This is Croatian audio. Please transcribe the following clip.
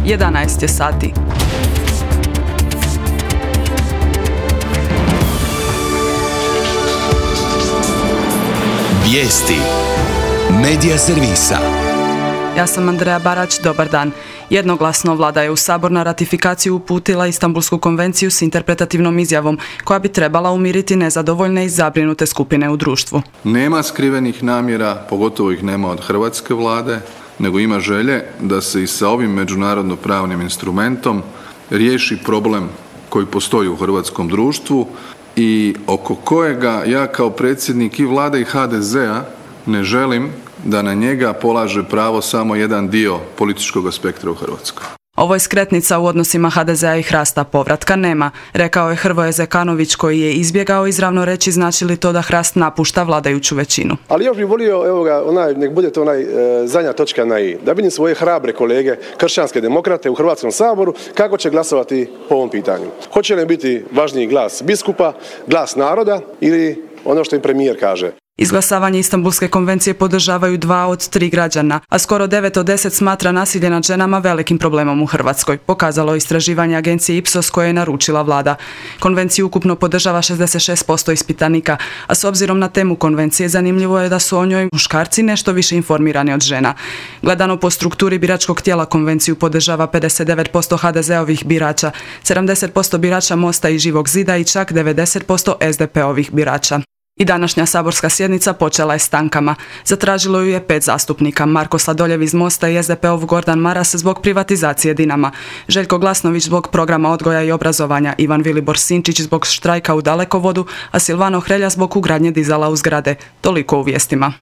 11 je sati. Vijesti Medija servisa. Ja sam Andreja Barać, dobar dan. Jednoglasno vlada je u Sabor na ratifikaciju uputila Istanbulsku konvenciju s interpretativnom izjavom koja bi trebala umiriti nezadovoljne i zabrinute skupine u društvu. Nema skrivenih namjera, pogotovo ih nema od hrvatske vlade, nego ima želje da se i sa ovim međunarodno-pravnim instrumentom riješi problem koji postoji u hrvatskom društvu i oko kojega ja kao predsjednik i vlade i HDZ-a ne želim da na njega polaže pravo samo jedan dio političkog spektra u Hrvatskoj. Ovo je skretnica u odnosima HDZ-a i Hrasta, povratka nema, rekao je Hrvoje Zekanović koji je izbjegao izravno reći znači li to da Hrast napušta vladajuću većinu. Ali još bih volio, nek bude to zadnja točka na i, da vidim svoje hrabre kolege, kršćanske demokrate u Hrvatskom saboru, kako će glasovati po ovom pitanju. Hoće li biti važniji glas biskupa, glas naroda ili ono što im premijer kaže? Izglasavanje Istanbulske konvencije podržavaju 2 od 3 građana, a skoro 9 od 10 smatra nasilje nad ženama velikim problemom u Hrvatskoj, pokazalo istraživanje agencije Ipsos koje je naručila vlada. Konvenciju ukupno podržava 66% ispitanika, a s obzirom na temu konvencije zanimljivo je da su o njoj muškarci nešto više informirani od žena. Gledano po strukturi biračkog tijela konvenciju podržava 59% HDZ-ovih birača, 70% birača Mosta i Živog zida i čak 90% SDP-ovih birača. I današnja saborska sjednica počela je stankama. Zatražilo ju je 5 zastupnika: Marko Sladoljev iz Mosta i SDP-ov Gordan Maras zbog privatizacije Dinama, Željko Glasnović zbog programa odgoja i obrazovanja, Ivan Vilibor Sinčić zbog štrajka u Dalekovodu, a Silvano Hrelja zbog ugradnje dizala u zgrade. Toliko u vijestima.